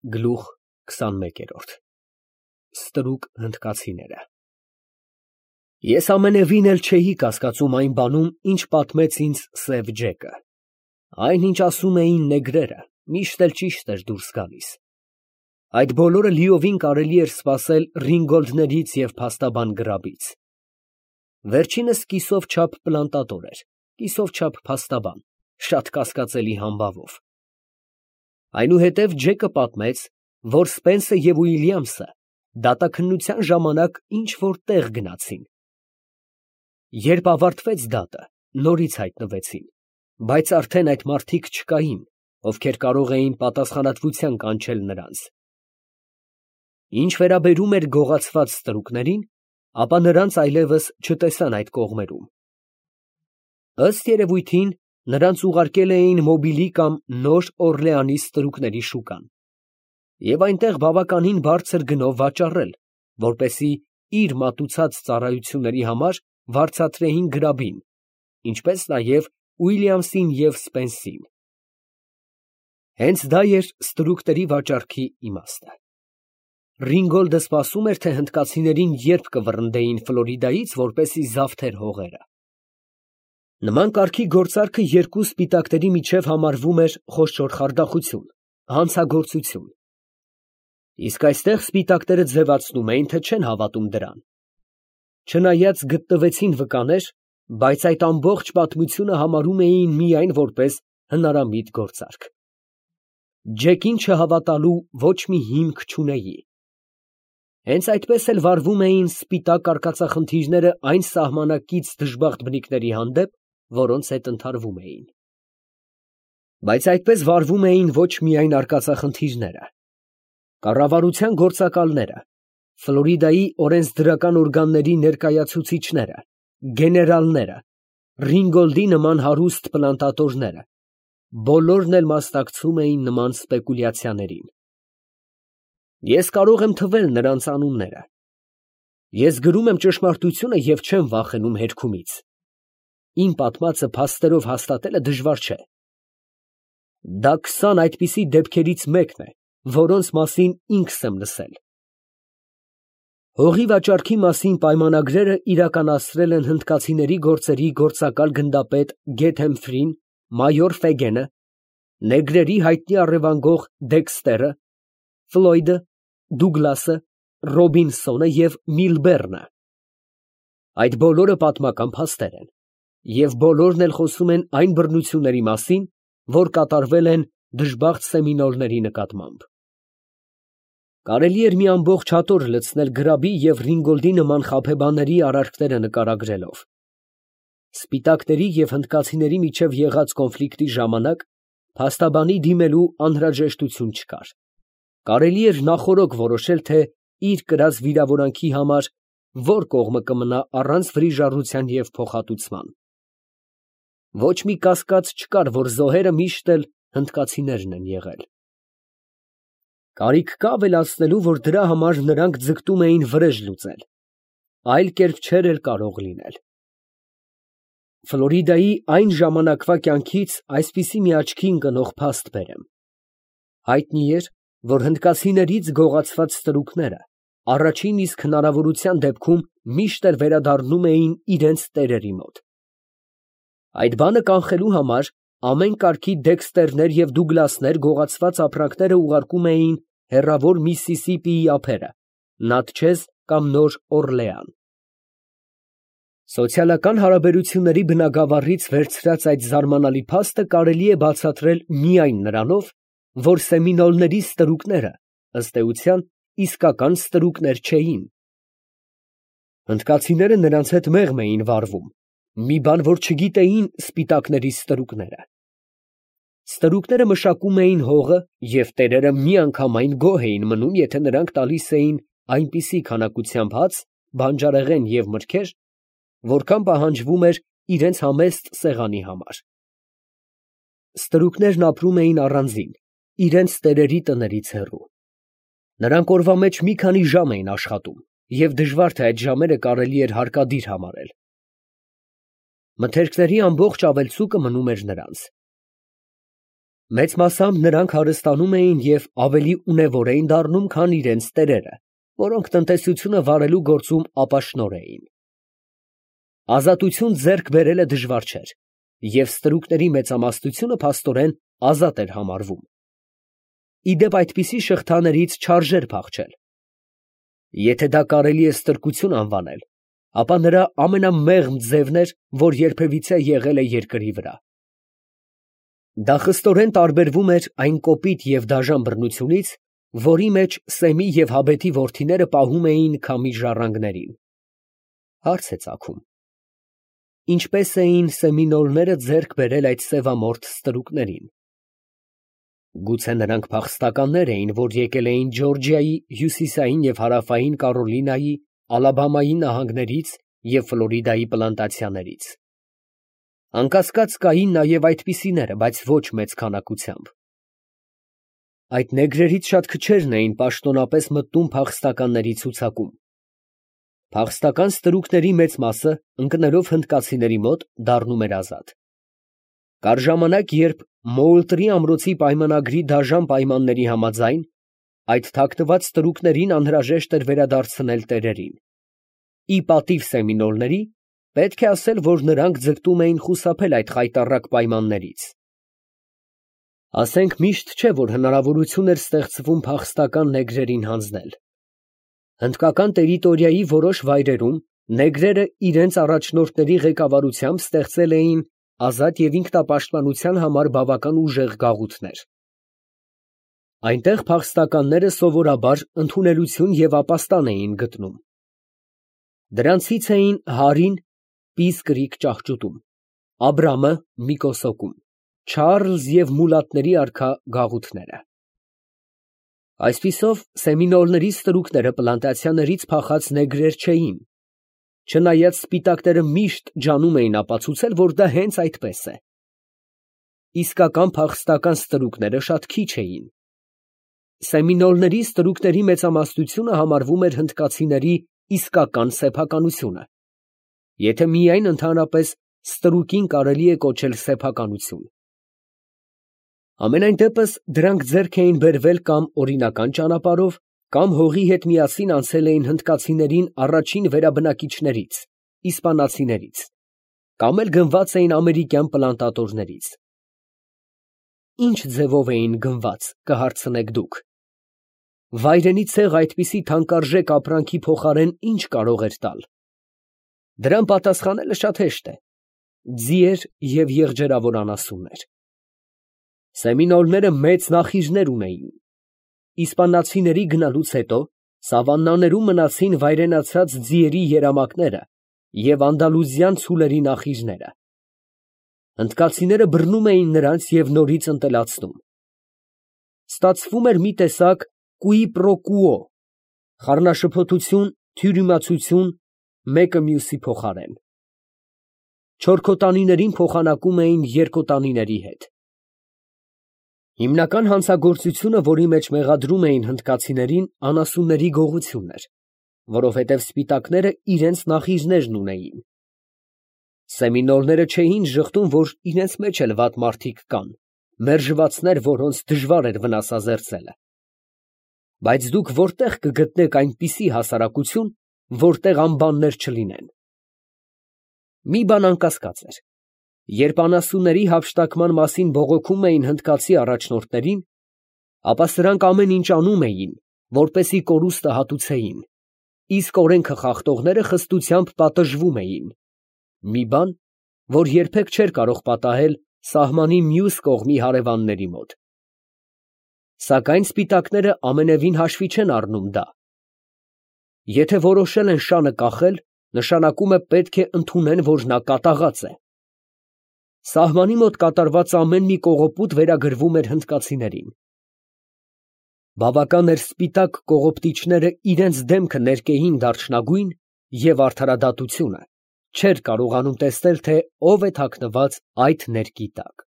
Գլուխ 21 Ստրուկ հնդկացիները Ես ամենևին էլ չէի կասկածում այն բանում, ինչ պատմեց ինձ Սև Ջեկը. այն, ինչ ասում էին նեգրերը, միշտ էլ ճիշտ էր դուրս գալիս. այդ բոլորը լիովին կարելի էր սպասել Ռինգոլդներից և փաստաբան Գրաբից. վերջինս կիսով չափ պլանտատոր էր, կիսով չափ փաստաբան, շատ կասկածելի համբավով. այնուհետև Ջեկը պատմեց, որ Սպենսը և Ուիլյամսը դատաքննության ժամանակ ինչ֊որ տեղ գնացին. երբ ավարտվեց դատը, նորից հայտնվեցին, բայց արդեն այդ մարդիկ չկային, ովքեր կարող էին պատասխանատվության կանչել նրանց. ինչ վերաբերում էր գողացված ստրուկներին, ապա նրանց այլևս չտեսան այդ կողմերում. ըստ երևույթին, նրանց ուղարկել էին Մոբիլի կամ Նոր Օրլեանի ստրուկների շուկան և այնտեղ բավականին բարձր գնով վաճառել, որպեսզի իր մատուցած ծառայությունների համար վարձատրեին Գրաբին, ինչպես նաև Ուիլյամսին և Սպենսին. հենց դա էր ստրուկների վաճառքի իմաստը. Ռինգոլդը սպասում էր, թե հնդկացիներին երբ կվռնդեին Ֆլորիդայից, որպեսզի զավթեր հողերը. նման կարգի գործարքը երկու սպիտակների միջև համարվում էր խոշոր խարդախություն, հանցագործություն. իսկ այստեղ սպիտակները ձևացնում էին, թե չեն հավատում դրան. չնայած գտնվեցին վկաներ, բայց այդ ամբողջ պատմությունը համարում էին միայն որպես հնարամիտ գործարք. Ջեկին չհավատալու ոչ մի հիմք չունեի. հենց այդպես էլ վարվում էին սպիտակ արկածախնդիրները այն սահմանակից դժբախտ բնիկների հանդեպ, որոնց հետ ընդհարվում էին. բայց այդպես վարվում էին ոչ միայն արկածախնդիրները. կառավարության գործակալները, Ֆլորիդայի օրենսդրական օրգանների ներկայացուցիչները, գեներալները, Ռինգոլդի նման հարուստ պլանտատորները, բոլորն էլ մասնակցում էին նման սպեկուլյացիաներին. ես կարող եմ թվել նրանց անունները. ես գրում եմ ճշմարտությունը և չեմ վախենում հերքումից. իմ պատմածը փաստերով հաստատելը դժվար չէ. դա 20 այդպիսի դեպքերից մեկն է, որոնց մասին ինքս եմ լսել. հողի վաճառքի մասին պայմանագրերը իրականացրել են հնդկացիների գործերի գործակալ գնդապետ Գեթհեմֆրին, մայոր Ֆեգենը, նեգրերի հայտնի առևանգող Դեքստերը, Ֆլոյդը, Դուգլասը, Ռոբինսոնը և Միլբեռնը. այդ բոլորը պատմական փաստեր են, և բոլորն էլ խոսում են այն բռնությունների մասին, որ կատարվել են դժբախտ սեմինոլների նկատմամբ. կարելի էր մի ամբողջ հատոր լցնել Գրաբի և Ռինգոլդի նման խաբեբաների արարքները նկարագրելով. սպիտակների և հնդկացիների միջև եղած կոնֆլիկտի ժամանակ փաստաբանի դիմելու անհրաժեշտություն չկար. կարելի էր նախօրոք որոշել, թե իր կրած վիրավորանքի համար որ կողմը կմնա առանց վրիժառության և փոխհատուցման. ոչ մի կասկած չկար, որ զոհերը միշտ էլ հնդկացիներն են եղել. կարիք կա ավելացնելու, որ դրա համար նրանք ձգտում էին վրեժ լուծել, այլ կերպ չէր էլ կարող լինել. Ֆլորիդայի այն ժամանակվա կյանքից այսպիսի մի աչքի ընկնող փաստ բերեմ. հայտնի էր, որ հնդկացիներից գողացված ստրուկները առաջին իսկ հնարավորության դեպքում միշտ էլ վերադառնում էին իրենց տերերի մոտ. այդ բանը կանխելու համար ամեն կարգի Դեքստերներ և Դուգլասներ գողացված ապրանքները ուղարկում էին հեռավոր Միսիսիպիի ափերը, Նատչեզ կամ Նոր Օրլեան. սոցիալական հարաբերությունների բնագավառից վերցրած այդ զարմանալի փաստը կարելի է բացատրել միայն նրանով, որ սեմինոլների ստրուկները, ըստ էության, իսկական ստրուկներ չէին. հնդկացիները նրանց հետ մեղմ էին վարվում, մի բան, որ չգիտեին սպիտակների ստրուկները. ստրուկները մշակում էին հողը և տերերը միանգամայն գոհ էին մնում, եթե նրանք տալիս էին այնպիսի քանակությամբ հաց, բանջարեղեն և մրգեր, որքան պահանջվում էր իրենց համեստ սեղանի համար. ստրուկներն ապրում էին առանձին, իրենց տերերի տներից հեռու. նրանք օրվա մեջ մի քանի ժամ էին աշխատում և դժվար թե այդ ժամերը կարելի էր հարկադիր համարել. մթերքների ամբողջ ավելցուկը մնում էր նրանց. Մեծ մասամբ նրանք հարստանում էին և ավելի ունևոր էին դառնում, քան իրենց տերերը, որոնք տնտեսությունը վարելու գործում ապաշնորհ էին։ Ազատություն ձեռք բերելը դժվար չէր, և ստրուկների մեծամասնությունը փաստորեն ազատ էր համարվում։ Ի դեպ այդպիսի շղթաներից չարժեր փախչել։ Եթե դա կարելի է ստրկություն անվանել, ապա նրա ամենամեղմ ձևն էր, որ երբևիցե եղել է երկրի վրա։ Դա խստորեն տարբերվում էր այն կոպիտ և դաժան բռնությունից, որի մեջ Սեմի և Հաբեթի որդիները պահում էին քամի ժառանգներին։ Հարց է ծագում. ինչպե՞ս էին սեմինոլները ձեռք բերել այդ սևամորթ ստրուկներին։ Գուցե նրանք փախստականներ էին, որ եկել էին Ջորջիայի հյուսիսային և հարավային Կարոլինայի, Ալաբամայի նահանգներից և Ֆլորիդայի պլանտացիաներից։ Անկասկած կային նաև այդպիսիները, բայց ոչ մեծ քանակությամբ։ Այդ նեգրերից շատ քչերն էին պաշտոնապես մտնում փախստականների ցուցակում։ Փախստական ստրուկների մեծ մասը, ընկնելով հնդկացիների մոտ, դառնում էր ազատ։ Կար ժամանակ, երբ Մոուլտրի ամրոցի պայմանագրի դաժան պայմանների համաձայն, այդ թաքնված ստրուկներին անհրաժեշտ էր վերադարձնել տերերին։ Ի պատիվ սեմինոլների, պետք է ասել, որ նրանք ձգտում էին խուսափել այդ խայտառակ պայմաններից։ Ասենք միշտ չէ, որ հնարավորություն էր ստեղծվում փախստական նեգրերին հանձնել։ Հնդկական տերիտորիայի որոշ վայրերում նեգրերը իրենց առաջնորդների ղեկավարությամբ ստեղծել էին ազատ և ինքնապաշտպանության համար բավական ուժեղ գաղութներ։ Այնտեղ փախստականները սովորաբար ընդունելություն և ապաստան էին գտնում։ Դրանցից էին Հարին Պիս ճահճուտում, Աբրամը Միկոսոկում, Չարլզ և մուլատների արքա գաղութները։ Այսպիսով, սեմինոլների ստրուկները պլանտացիաներից փախած նեգրեր չէին, չնայած սպիտակները միշտ ջանում էին ապացուցել, որ դա հենց այդպես է։ Իսկական փախստական ստրուկները շատ քիչ էին։ Սեմինոլների ստրուկների մեծամասնությունը համարվում էր հնդկացիների իսկական սեփականությունը, եթե միայն ընդհանրապես ստրուկին կարելի է կոչել սեփականություն։ Համենայն դեպս դրանք ձեռք էին բերվել կամ օրինական ճանապարհով, կամ հողի հետ միասին անցել էին հնդկացիներին առաջին վերաբնակիչներից, իսպանացիներից, կամ էլ գնված էին ամերիկյան պլանտատորներից։ Ինչ ձևով էին գնված, կհարցնեք դուք։ Վայրենի ցեղ այդպիսի թանկարժեք ապրանքի փոխարեն ինչ կարող էր տալ։ Դրան պատասխանելը շատ հեշտ է. ձիեր և եղջերավոր անասուններ։ Սեմինոլները մեծ նախիժներ ունեին։ Իսպանացիների գնալուց հետո սավաններում մնացին վայրենացած ձիերի երամակները և անդալուզյան ցուլերի նախիժները։ Հնդկացիները բռնում էին նրանց և նորից ընտելացնում։ Ստացվում էր մի տեսակ կուի պրո կուո խառնաշփոթություն, թյուրիմացություն, մեկը մյուսի փոխարեն։ Չորքոտանիներին փոխանակում էին երկոտանիների հետ։ Հիմնական հանցագործությունը, որի մեջ մեղադրում էին հնդկացիներին, անասունների գողությունն էր, որովհետև սպիտակները իրենց նախիժներն ունեին։ Սեմինոլները չէին ժխտում, որ իրենց մեջ էլ վատ մարդիկ կան, մերժվածներ, որոնց դժվար էր վնասազերծելը։ Բայց դուք որտե՞ղ կգտնեք այնպիսի հասարակություն, որտեղ անբաններ չլինեն։ Մի բան անկասկած էր. երբ անասունների հափշտակման մասին բողոքում էին հնդկացի առաջնորդներին, ապա սրանք ամեն ինչ անում էին, որպեսզի կորուստը հատուցեին, իսկ օրենքը խախտողները խստությամբ պատժվում էին, մի բան, որ երբեք չէր կարող պատահել սահմանի մյուս կողմի հարևանների մոտ։ Սակայն սպիտակները ամենևին հաշվի չեն առնում դա։ Եթե որոշել են շանը կախել, նշանակում է պետք է ընդունեն, որ նա կատաղած է։ Սահմանի մոտ կատարված ամեն մի կողոպուտ վերագրվում էր հնդկացիներին։ Բավական էր սպիտակ կողոպտիչները իրենց դեմքը ներկեին դարչնագույն, և արդարադատությունը չէր կարողանում տեսնել, թե ով է թաքնված այդ ներկի տակ։